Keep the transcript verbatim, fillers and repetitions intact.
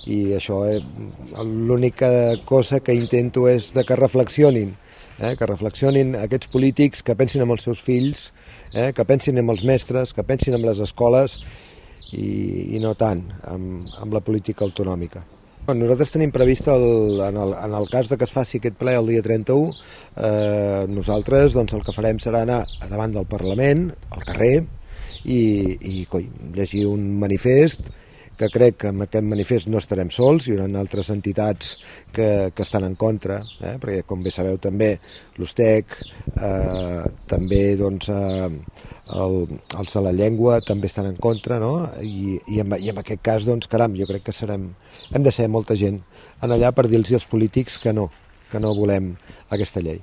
i això, eh, l'única cosa que intento és de que reflexionin, eh, que reflexionin aquests polítics, que pensin en els seus fills, eh, que pensin en els mestres, que pensin en les escoles i, i no tant amb, amb la política autonòmica. Nosaltres tenim previst, el, en, el, en el cas de que es faci aquest ple el dia trenta-u, eh, nosaltres doncs, el que farem serà anar a davant del Parlament, al carrer, i, i coi, llegir un manifest, que crec que amb aquest manifest no estarem sols, hi haurà altres entitats que, que estan en contra, eh, perquè com bé sabeu també l'U S T E C, eh, també doncs, eh, el, els de la llengua també estan en contra, no? I, i, en, i en aquest cas, doncs, caram, jo crec que serem, hem de ser molta gent en allà per dir-los als polítics que no, que no volem aquesta llei.